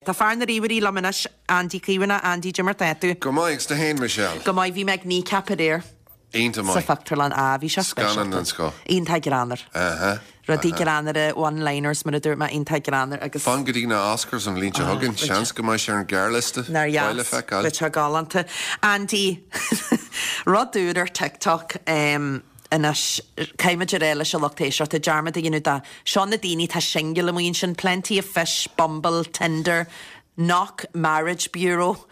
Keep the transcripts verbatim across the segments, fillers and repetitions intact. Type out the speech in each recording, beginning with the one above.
Tá fear na ríomhairí liom anois Andy Caomhánach Andy cad é mar tá tú. Go maith tú féin Michelle. Go maith bhí mé ag Kneecap aréir Iontach sa maith. phictiúrlann a bhí sé Scannán den scoth. Iontach greannmhar. Aha. Rudaí greannmhara one-liners mar a dúirt mé iontach greannmhar agus Fan go dtí na Oscars an bhliain seo chugainn seans go mbeidh sé ar an ghearrliosta Nár Beidh le dheas feiceáil. Le te galánta. Andy rud úr ar TikTok um, anois caithfimid a rá leis an lucht éisteachta dearmad a dhéanamh de seo na daoine tá single amuigh ansin Plenty of Fish, Bumble, Tinder, Knock Marriage Bureau.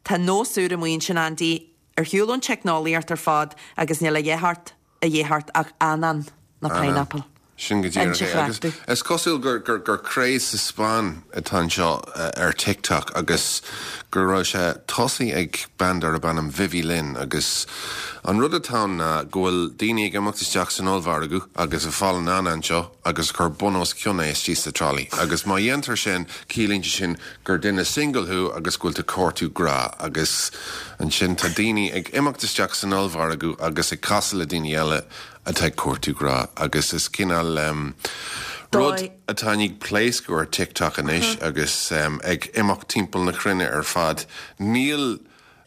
Tá nós úr amuigh ansin Andy ar shiúl ón teicneolaíocht ar fad agus níl a dhéthart a dhéthart ach anann na pineapple. Sin go díreach Inse é. Agus chractú. Is cosúil gur gur gur craze sa Spáinn atá anseo uh, ar TikTok agus go raibh sé tosaithe ag bean darb ainm Vivi Lin agus an rud atá ná go bhfuil daoine ag imeacht isteach san ollmhargadh agus ag fáil an anann seo agus cur bun os cionn é istigh sa trolley. Agus má dhéantar sin ciallaíonn sé sin gur duine single thú agus go bhfuil tú ag cuartú grá agus ansin tá daoine ag imeacht isteach san ollmhargadh agus ag casadh le daoine eile atá ag cuartú grá agus is cineál um, rud Dóigh- atá ag pléascadh ar TikTok anois agus um, ag imeacht timpeall na cruinne ar fad. Níl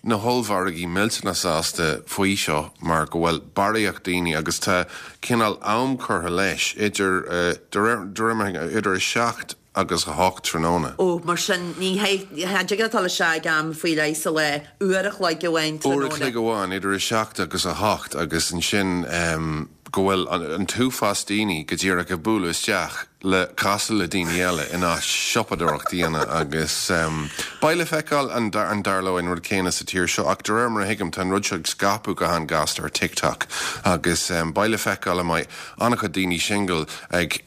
na hollmhargaí millteanach sásta faoi seo mar go bhfuil barraíocht daoine agus tá cineál am curtha leis idir uh, de réir- de réir mar- idir a seacht agus a hocht tráthnóna. Ó mar sin ní atá le se am faoi leis sa le uair a chloig amháin Uair a chloig amháin idir a seacht agus a hocht agus ansin um, go bhfuil an, an t-uafás daoine go díreach ag bualadh isteach le casadh le daoine eile in áit siopadóireacht a dhéanamh agus um, Beidh le feiceáil an dar an dtarlóidh an rud céanna sa tír seo ach de réir mar a thuigim tá an rud seo ag scaipeadh go han-ghasta ar TikTok agus um, beidh le feiceáil an mbeidh an-chuid daoine single ag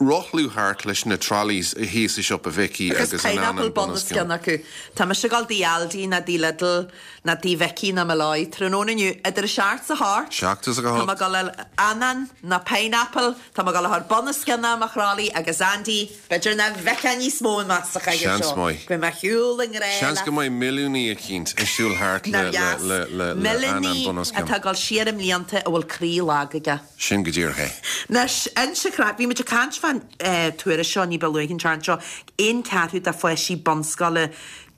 rothlú thart leis na trolleys thíos i siopa Mhicí Agus agus an pineapple anann bun os cionn acu. Tá mé ag gabháil dtí Aldi ná dtí Lidl ná dtí Mhicí ná Molloy tráthnóna inniu idir a seacht is a hocht. Seacht is a Tá hocht. gabháil anann ná pineapple, Tá mé ag gabháil bun os cionn mo throlly agus Andy, b'fhéidir nach bhfeicfeá níos mó mé sa Seans seo. maith. Go mbeidh siúl an ré Seans go mbeidh milliúnaí eicínt ag siúl thart le le le le le anann bun os cionn. atá ag gabháil siar i mblianta a bhfuil croí lag aige. Sin go díreach é. Anois inse chrá bhí muid ag caint fán tuairisc seo ní ba luaithe an seo aon ceathrú de pháistí bunscoile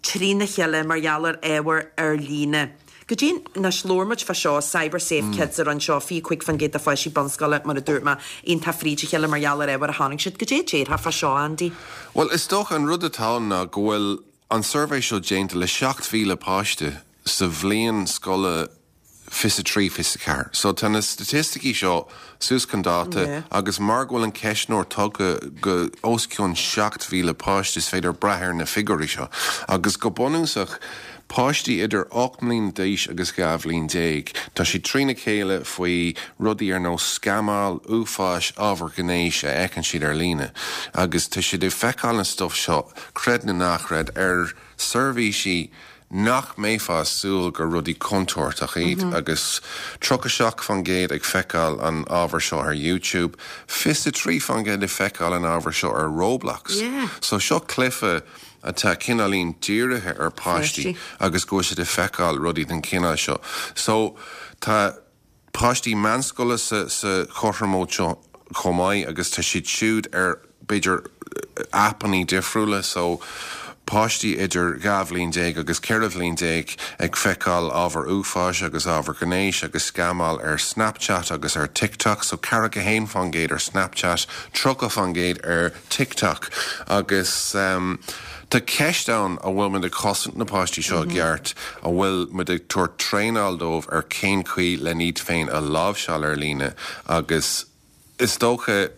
trína chéile mar gheall ar ábhar ar líne. Go dtí anois labhair muid fá seo Cyber Safe mm. Kids ar an seo fiche cúig faoin gcéad de pháistí bunscoile mar a dúirt mé iontach fríd a chéile mar gheall ar ábhar a chonaic siad go dté déartha fá seo Andy. Well is dócha an rud atá ná go bhfuil an suirbhé seo déanta le seacht míle páiste sa bhliain scoile fiche trí fiche ceathair. So tá na staitisticí seo suas chun dáta Yeah. agus mar go bhfuil an ceistneoir tugtha go os cionn seacht míle páiste is féidir brath ar na figiúirí seo. Agus go bunúsach páistí idir ocht mbliana d'aois agus dhá bhliain déag, Tá sé trína chéile faoi rudaí ar nós scamáil uafáis ábhar gnéis a fheiceann siad ar líne. Agus tá siad ag feiceáil an stuff seo creid nó ná creid ar seirbhísí nach mbeifeá ag súil gur rudaí contúirteach iad mm -hmm. agus tríocha seacht faoin gcéad ag feiceáil an ábhar seo ar YouTube, fiche trí faoin gcéad ag feiceáil an ábhar seo ar Roblox. Yeah. So seo cluiche atá cineáilín dírithe ar páistí Páistí. agus go siad ag feiceáil rudaí den chineál seo. So tá páistí meánscoile sa, sa chothromóid seo chomh maith agus tá siad siúd ar b'fhéidir aipeanna difriúla so páistí idir dhá bhliain déag agus ceithre bhliain déag ag feiceáil ábhar uafáis agus ábhar gnéis agus scamáil ar Snapchat agus ar TikTok, so ceathracha haon faoin gcéad ar Snapchat, tríocha faoin gcéad ar TikTok agus um, Tá ceist ann an bhfuil muid ag cosaint na páistí seo mm -hmm. ceart an bhfuil muid ag tabhairt traenáil dóibh ar cén chaoi le iad féin a láimhseáil ar líne agus is dócha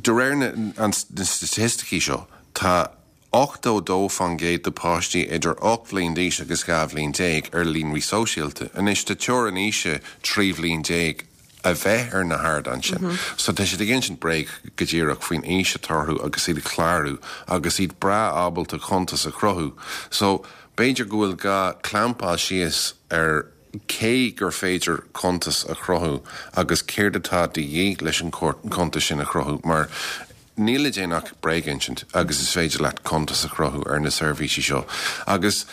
de réir na an na staitisticí seo tá ochtó dó faoin gcéad de páistí idir ocht bhliain d'aois agus dhá bhliain déag ar líonraí sóisialta. Anois tá teorainn aoise trí bhliain déag a bheith ar na hardáin sin. Mm -hmm. So tá siad ag insint bréag go díreach faoin aois atá orthu agus iad ag clárú agus iad breá ábalta cuntas a chruthú. So b'fhéidir go bhfuil gá clampáil síos ar cé gur féidir cuntas a chruthú agus céard atá de dhíth leis an cuntas sin a chruthú mar níl le déanamh ach bréag a insint agus is féidir leat cuntas a chruthú ar na seirbhísí seo. Agus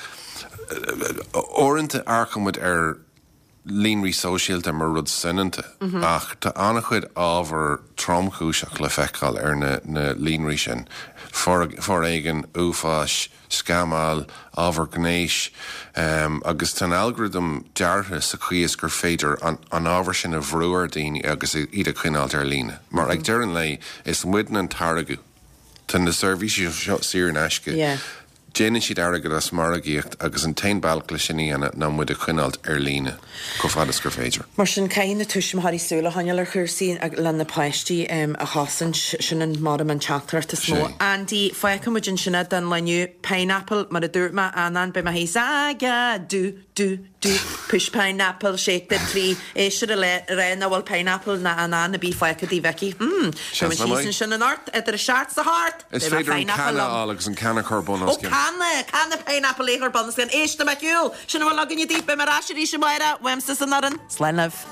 uaireanta amharcann muid ar líonraí sóisialta mar rud soineanta ach tá an-chuid ábhar tromchúiseach le feiceáil ar na, na líonraí sin. Foréigean, uafás, scamáil, ábhar gnéis, um, agus tá an algorithm deartha sa chaoi is gur féidir an, an ábhar sin a bhrú ar daoine agus iad a choinneáil ar líne. Mar ag deireadh an lae is muidne an táirge. Tá na seirbhísí seo saor in aisce. Yeah. Déanann siad airgead as margaíocht agus an t-aon bealach le sin a dhéanamh ná muid a choinneáil ar líne chomh fada is gur féidir. Mar sin caithfidh na tuismitheoirí súil a choinneáil ar chúrsaí le na páistí um, a chosaint sin an mar an teachtaireacht is mó. Andy fágfaimid ansin é don lá inniu pineapple mar a dúirt mé anán be hí aga do do do push pineapple shake the tree éisir a le ré na bhfuil pineapple na anán a bí fágtha di Vicky. Hmm, Seans sin na maith. sin an art idir a seacht sa hart. Is féidir an canna a fháil agus an canna chur bun Ó canna canna pineapple léchar bun an éiste me siúil sin bhfuil againn daoibh beimid ar ais arís amárach uaimse san aran Slán libh.